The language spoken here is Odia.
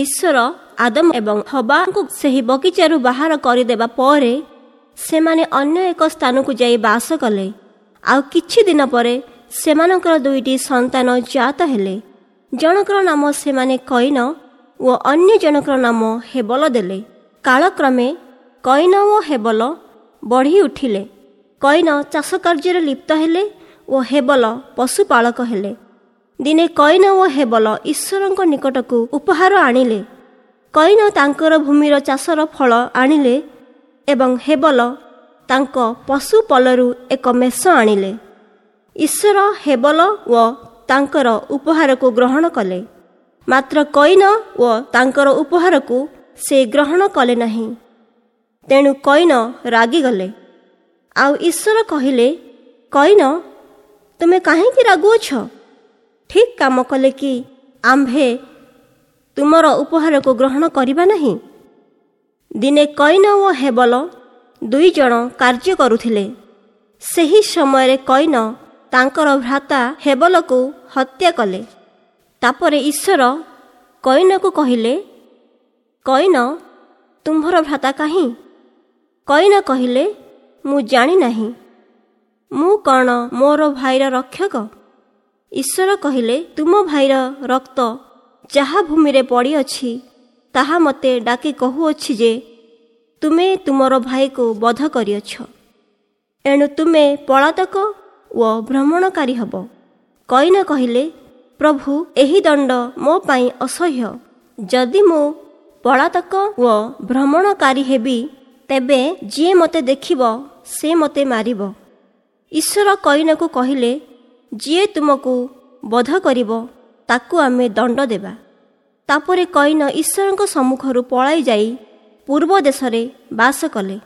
ଈଶ୍ୱର ଆଦମ ଏବଂ ହବାଙ୍କୁ ସେହି ବଗିଚାରୁ ବାହାର କରିଦେବା ପରେ ସେମାନେ ଅନ୍ୟ ଏକ ସ୍ଥାନକୁ ଯାଇ ବାସ କଲେ। ଆଉ କିଛି ଦିନ ପରେ ସେମାନଙ୍କର ଦୁଇଟି ସନ୍ତାନ ଜାତ ହେଲେ। ଜଣଙ୍କର ନାମ ସେମାନେ କଇନ ଓ ଅନ୍ୟ ଜଣଙ୍କର ନାମ ହେବଲ ଦେଲେ। କାଳକ୍ରମେ କଇନ ଓ ହେବଲ ବଢ଼ି ଉଠିଲେ। କଇନ ଚାଷ କାର୍ଯ୍ୟରେ ଲିପ୍ତ ହେଲେ ଓ ହେବଲ ପଶୁପାଳକ ହେଲେ। ଦିନେ କଇନ ଓ ହେବଲ ଈଶ୍ୱରଙ୍କ ନିକଟକୁ ଉପହାର ଆଣିଲେ। କଇନ ତାଙ୍କର ଭୂମିର ଚାଷର ଫଳ ଆଣିଲେ ଏବଂ ହେବଲ ତାଙ୍କ ପଶୁପଲରୁ ଏକ ମେଷ ଆଣିଲେ। ଈଶ୍ୱର ହେବଲ ଓ ତାଙ୍କର ଉପହାରକୁ ଗ୍ରହଣ କଲେ, ମାତ୍ର କଇନ ଓ ତାଙ୍କର ଉପହାରକୁ ସେ ଗ୍ରହଣ କଲେ ନାହିଁ। ତେଣୁ କଇନ ରାଗିଗଲେ। ଆଉ ଈଶ୍ୱର କହିଲେ, କଇନ, ତୁମେ କାହିଁକି ରାଗୁଅଛ? ଠିକ୍ କାମ କଲେ କି ଆମ୍ଭେ ତୁମର ଉପହାରକୁ ଗ୍ରହଣ କରିବା ନାହିଁ? ଦିନେ କଇନ ଓ ହେବଲ ଦୁଇ ଜଣ କାର୍ଯ୍ୟ କରୁଥିଲେ। ସେହି ସମୟରେ କଇନ ତାଙ୍କର ଭ୍ରାତା ହେବଲକୁ ହତ୍ୟା କଲେ। ତାପରେ ଈଶ୍ୱର କଇନକୁ କହିଲେ, କଇନ, ତୁମ୍ଭର ଭ୍ରାତା କାହିଁ? କଇନ କହିଲେ, ମୁଁ ଜାଣି ନାହିଁ। ମୁଁ କ'ଣ ମୋର ଭାଇର ରକ୍ଷକ? ଈଶ୍ୱର କହିଲେ, ତୁମ ଭାଇର ରକ୍ତ ଯାହା ଭୂମିରେ ପଡ଼ିଅଛି ତାହା ମୋତେ ଡାକି କହୁଅଛି ଯେ ତୁମେ ତୁମର ଭାଇକୁ ବଧ କରିଅଛ। ଏଣୁ ତୁମେ ପଳାତକ ଓ ଭ୍ରମଣକାରୀ ହେବ। କଇନ କହିଲେ, ପ୍ରଭୁ, ଏହି ଦଣ୍ଡ ମୋ ପାଇଁ ଅସହ୍ୟ। ଯଦି ମୁଁ ପଳାତକ ଓ ଭ୍ରମଣକାରୀ ହେବି, ତେବେ ଯିଏ ମୋତେ ଦେଖିବ ସେ ମୋତେ ମାରିବ। ଈଶ୍ୱର କଇନକୁ କହିଲେ, ଯିଏ ତୁମକୁ ବଧ କରିବ ତାକୁ ଆମେ ଦଣ୍ଡ ଦେବା। ତାପରେ କଇନ ଈଶ୍ୱରଙ୍କ ସମ୍ମୁଖରୁ ପଳାଇ ଯାଇ ପୂର୍ବ ଦେଶରେ ବାସ କଲେ।